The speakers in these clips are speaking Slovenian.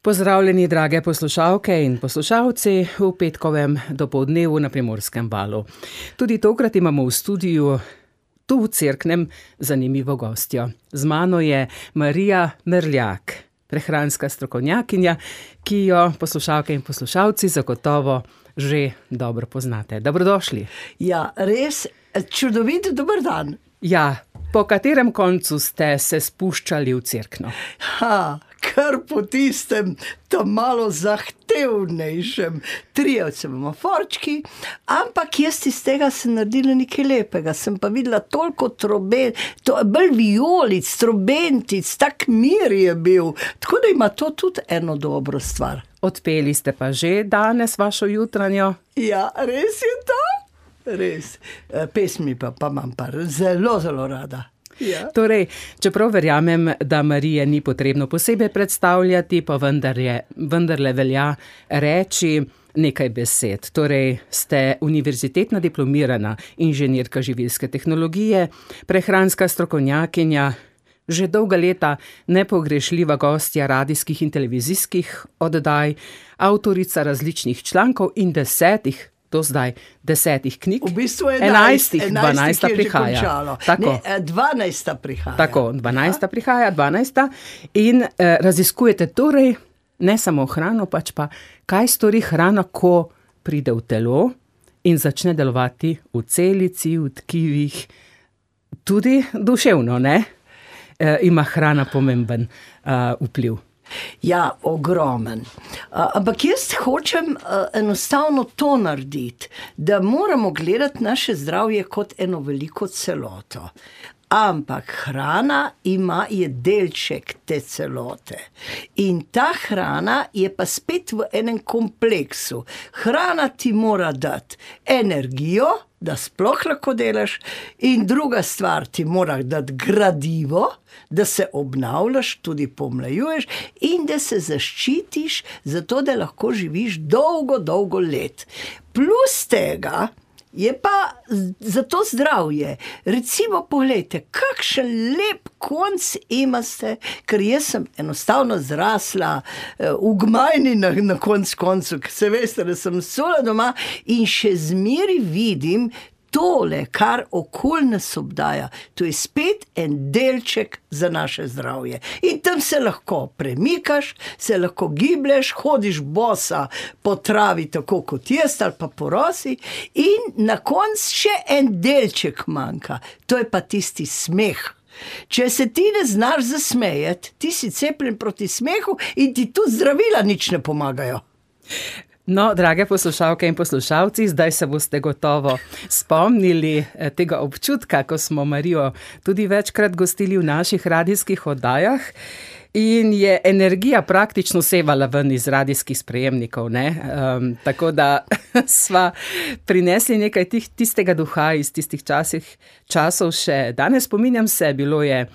Pozdravljeni, drage poslušalke in poslušalci v petkovem dopoldnevu na Primorskem valu. Tudi tokrat imamo v studiu, tu v Cerknem, zanimivo gostjo. Z mano je Marija Merljak, prehranska strokovnjakinja, ki jo poslušalke in poslušalci zagotovo že dobro poznate. Dobrodošli. Ja, res čudovit dober dan. Ja, po katerem koncu ste se spuščali v Cerkno? Kar po tistem, tam malo zahtevnejšem. Trijevce imamo forčki, ampak jaz iz tega sem naredila nekaj lepega. Sem pa videla toliko bolj vijolic, trobentic, tak mir je bil. Tako da ima to tudi eno dobro stvar. Odpeli ste pa že danes vašo jutranjo? Ja, res je to? Res. Pesmi pa imam pa zelo, zelo rada. Ja. Torej, čeprav verjamem, da Marije ni potrebno posebej predstavljati, pa vendarle velja reči nekaj besed. Torej, ste univerzitetna diplomirana inženirka živilske tehnologije, prehranska strokovnjakinja, že dolga leta nepogrešljiva gostja radijskih in televizijskih oddaj, avtorica različnih člankov in do zdaj 10 knjig. V bistvu 12 prihaja. Tako. Ne, 12 prihaja. Tako, 12 prihaja, 12. In raziskujete torej ne samo hrano, pač pa kaj stori hrana, ko pride v telo in začne delovati v celici, v tkivih, tudi duševno, ne? Ima hrana pomemben vpliv. Ja, ogromen. Ampak jaz hočem enostavno to narediti, da moramo gledati naše zdravje kot eno veliko celoto. Ampak hrana je delček te celote. In ta hrana je pa spet v enem kompleksu. Hrana ti mora dati energijo, da sploh lahko delaš, in druga stvar ti mora dati gradivo, da se obnavljaš, tudi pomlajuješ in da se zaščitiš, zato da lahko živiš dolgo, dolgo let. Plus tega je pa zato zdravje. Recimo, pogledajte, kakšen lep konc imate, ker jaz sem enostavno zrasla v Gmajni na koncu, ker se veste, da sem sola doma in še zmeri vidim tole, kar okoli nas obdaja. To je spet en delček za naše zdravje. In tam se lahko premikaš, se lahko giblješ, hodiš bosa po travi, tako kot jaz, ali pa po rosi, in na koncu še en delček manjka. To je pa tisti smeh. Če se ti ne znaš zasmejati, ti si cepljen proti smehu in ti tudi zdravila nič ne pomagajo. No, drage poslušalke in poslušalci, zdaj se boste gotovo spomnili tega občutka, ko smo Marijo tudi večkrat gostili v naših radijskih oddajah in je energija praktično sevala ven iz radijskih sprejemnikov, ne? Tako da sva prinesli nekaj tistega duha iz tistih časov še. Danes spominjam se, bilo je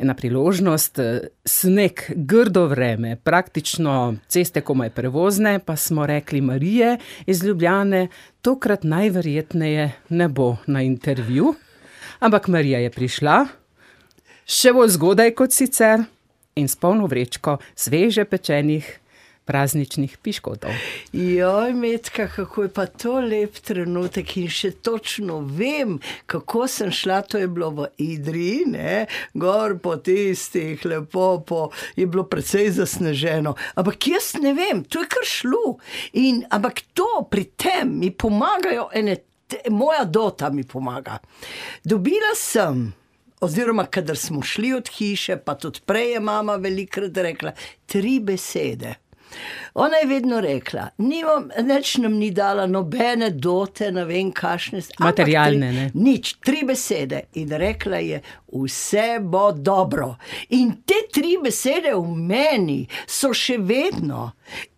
ena priložnost, sneg, grdo vreme, praktično ceste komaj prevozne, pa smo rekli Marije iz Ljubljane, tokrat najverjetneje ne bo na intervju, ampak Marija je prišla, še bolj zgodaj kot sicer, in s polno vrečko sveže pečenih prazničnih piškotov. Joj, Metka, kako je pa to lep trenutek in še točno vem, kako sem šla, to je bilo v Idriji, ne, gor po tistih, lepo, je bilo precej zasneženo, ampak jaz ne vem, to je kar šlo, ampak to pri tem mi pomagajo moja dota mi pomaga. Dobila sem, oziroma kadar smo šli od hiše, pa tudi prej je mama velikrat rekla, 3 besede. Ona je vedno rekla, nič nam ni dala nobene dote, ne vem kašne. Materialne, ne? Nič, 3 besede. In rekla je, vse bo dobro. In te 3 besede v meni so še vedno.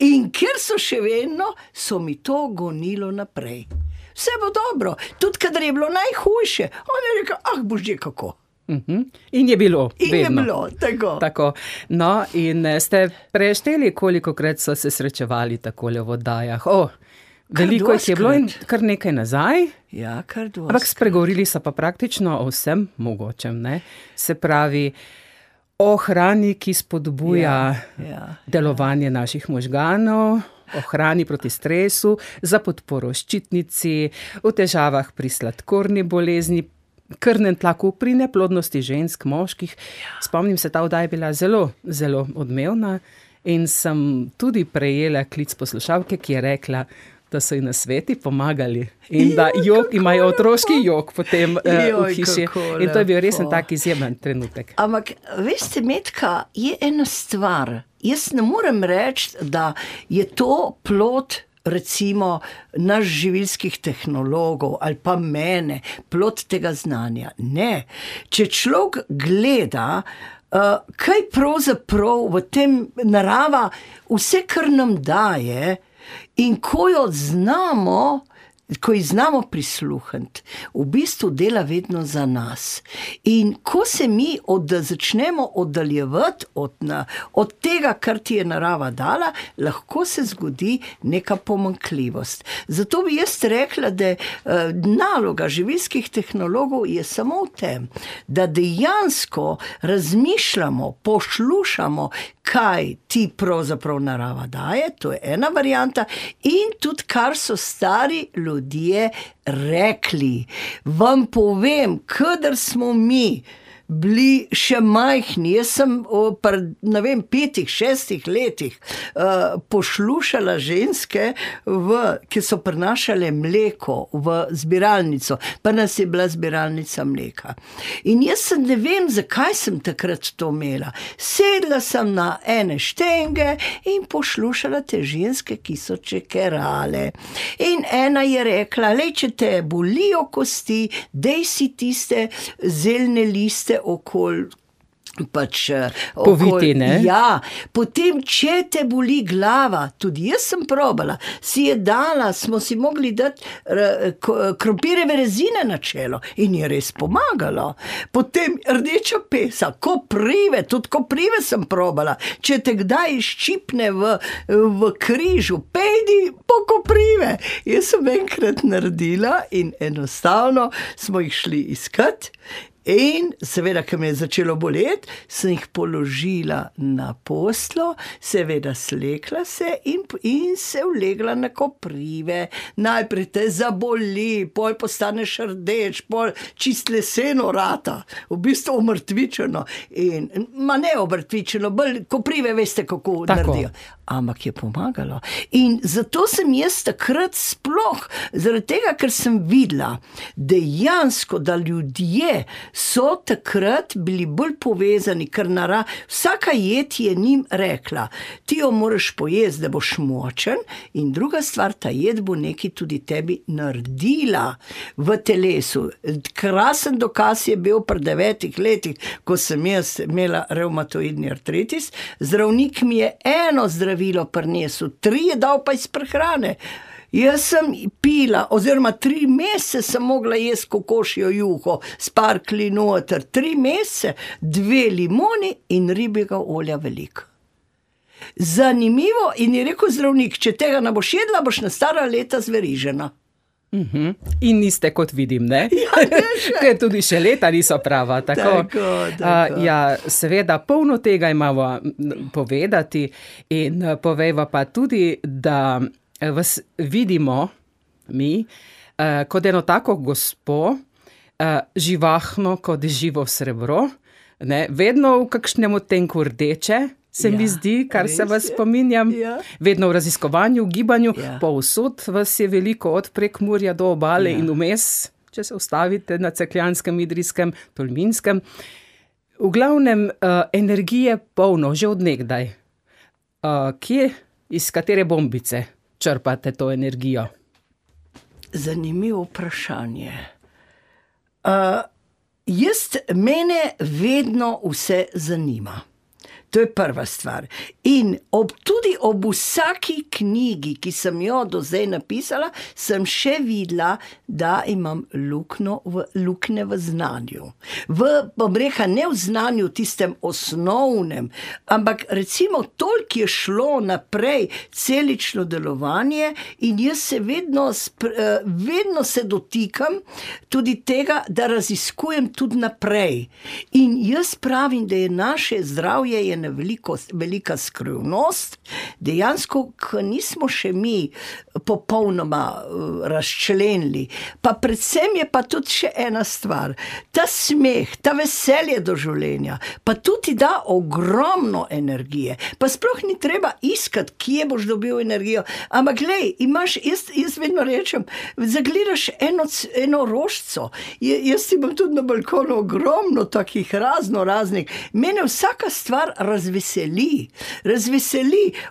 In ker so še vedno, so mi to gonilo naprej. Vse bo dobro. Tudi kadar je bilo najhujše, ona je rekla, bož je kako. In je bilo, vedno. In je bilo, tako. No, in ste prešteli, kolikokrat so se srečevali takole v oddajah? Veliko jih je bilo in kar nekaj nazaj. Ja, kar doskrat. Ampak spregovorili so pa praktično o vsem mogočem, ne? Se pravi, o hrani, ki spodbuja delovanje naših možganov, o hrani proti stresu, za podporo ščitnici, o težavah pri sladkorni bolezni, krvnem tlaku, pri neplodnosti žensk, moških. Spomnim se, ta oddaja je bila zelo, zelo odmevna in sem tudi prejela klic poslušalke, ki je rekla, da so ji nasveti pomagali in da imajo otroški jok potem v hiši. In to je bil res tak izjemen trenutek. Ampak, veste, Metka, je ena stvar. Jaz ne morem reči, da je to plod recimo naš živilskih tehnologov ali pa mene, plod tega znanja. Ne. Če človek gleda, kaj pravzaprav v tem narava, vse, kar nam daje, in ko jo znamo, ko ji znamo prisluhniti, v bistvu dela vedno za nas. In ko se mi začnemo oddaljevati od tega, kar ti je narava dala, lahko se zgodi neka pomanjkljivost. Zato bi jaz rekla, da naloga živilskih tehnologov je samo v tem, da dejansko razmišljamo, poslušamo, kaj ti pravzaprav narava daje, to je ena varianta, in tudi kar so stari ljudje rekli. Vam povem, kadar smo mi bili še majhni, jaz sem pri, 5, 6 letih poslušala ženske, ki so prinašale mleko v zbiralnico, pa nas je bila zbiralnica mleka. In jaz ne vem, zakaj sem takrat to imela. Sedla sem na ene štenge in poslušala te ženske, ki so čekerale. In ena je rekla, če te bolijo kosti, dej si tiste zeljne liste okoli poviti, ne? Ja, potem, če te boli glava, tudi jaz sem probala, si je dala, smo si mogli dati krompirjeve rezine na čelo in je res pomagalo. Potem rdeča pesa, koprive, tudi koprive sem probala. Če te kdaj ščipne v križu, pejdi po koprive. Jaz sem enkrat naredila in enostavno smo jih šli iskat. In seveda, ko me je začelo boleti, sem jih položila na posteljo, seveda slekla se in se vlegla na koprive. Najprej te zaboli, pol postaneš rdeč, pol čist leseno rata, v bistvu omrtvičeno. Ne omrtvičeno, bolj koprive veste, kako naredijo. Ampak je pomagalo. In zato sem jaz takrat sploh, zaradi tega, ker sem videla dejansko, da ljudje so takrat bili bolj povezani, ker vsaka jed je njim rekla, ti jo moraš pojesti, da boš močen, in druga stvar, ta jed bo nekaj tudi tebi naredila v telesu. Krasen dokaz je bil pri 9 letih, ko sem jaz imela revmatoidni artritis, zdravnik mi je eno zdravilo prinesel, 3 je dal pa iz prehrane. Jaz sem pila, oziroma 3 mesece sem mogla jesti kokošjo juho, sparkli noter, 3 mesece, 2 limoni in ribjega olja veliko. Zanimivo, in je rekel zdravnik, če tega ne boš jedla, boš na stara leta zverižena. In niste, kot vidim, ne? Ker tudi še leta niso prava. Tako. Ja, seveda, polno tega imamo povedati in povejva pa tudi, da vas vidimo mi kot eno tako gospo, živahno kot živo srebro, ne? Vedno v kakšnem odtenku rdeče, se mi zdi, kar se vas spominjam, vedno v raziskovanju, v gibanju, povsod vas je veliko, od Prekmurja do obale in vmes, če se ustavite na Cerkljanskem, Idrijskem, Tolminskem. V glavnem, energije polno, že od nekdaj. Kje, iz katere bombice črpate to energijo? Zanimivo vprašanje. Mene vedno vse zanima. To je prva stvar. In tudi ob vsaki knjigi, ki sem jo do zdaj napisala, sem še videla, da imam luknje v znanju. Bom rekla, ne v znanju tistem osnovnem, ampak recimo toliko je šlo naprej celično delovanje in jaz se vedno se dotikam tudi tega, da raziskujem tudi naprej. In jaz pravim, da je naše zdravje ena velika skrivnost, dejansko, ko nismo še mi popolnoma razčlenili. Pa predvsem je pa tudi še ena stvar. Ta smeh, ta veselje do življenja, pa tudi da ogromno energije. Pa sploh ni treba iskati, kje boš dobil energijo. Ampak glej, jaz vedno rečem, zagledaš eno rožico. Jaz imam tudi na balkonu ogromno takih raznih. Mene vsaka stvar razveseli.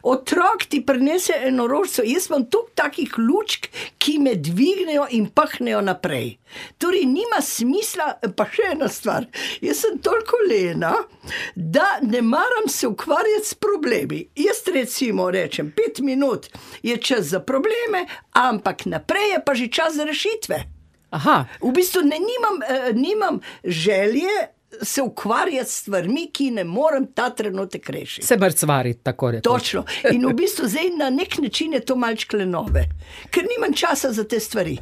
Otrok ti prinese eno rožico. Jaz imam toliko takih lučk, ki me dvignejo in pahnejo naprej. Torej, nima smisla, pa še ena stvar. Jaz sem toliko lena, da ne maram se ukvarjati s problemi. Jaz recimo rečem, 5 minut je čas za probleme, ampak naprej je pa že čas za rešitve. Aha. V bistvu nimam želje se ukvarjati s stvarmi, ki ne morem ta trenutek rešiti. Se mrcvariti, tako rekoč. Točno. In v bistvu zdaj na nek način je to malčkle nove, ker nimam časa za te stvari.